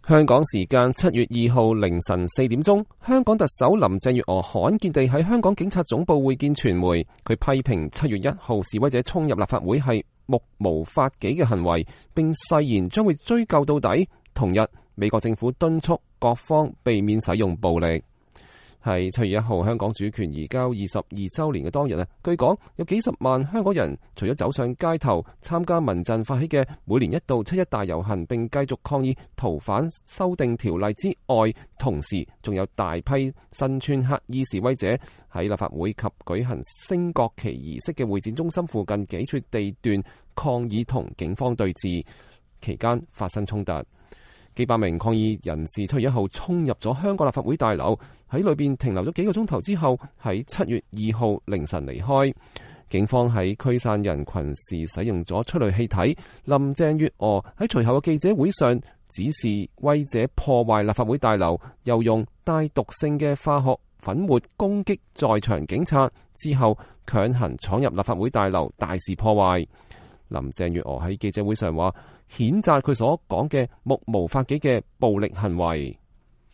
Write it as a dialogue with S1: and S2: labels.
S1: 香港時間7月2號凌晨4點鐘，香港特首林鄭月娥罕見地喺香港警察總部會見傳媒，佢批評7月1號示威者衝入立法會係目無法紀嘅行為，並誓言將會追究到底。同日，美國政府敦促各方避免使用暴力。係7月1號香港主權移交22週年嘅當日，據講有幾十萬香港人除咗走上街頭參加民陣發起嘅每年一度7·1大遊行，並繼續抗議逃犯修訂條例之外，同時仲有大批身穿黑衣示威者喺立法會及舉行升國旗儀式嘅會展中心附近幾處地段抗議同警方對峙，期間發生衝突。幾百名抗議人士7月1號衝入咗香港立法會大樓，喺裏邊停留咗幾個鐘頭之後，喺7月2號凌晨離開。警方喺驅散人群時使用咗催淚氣體。林鄭月娥喺隨後嘅記者會上指示威者破壞立法會大樓，又用帶毒性嘅化學粉末攻擊在場警察，之後強行闖入立法會大樓，大肆破壞。林鄭月娥喺記者會上話，譴責佢所講嘅目無法紀嘅暴力行為。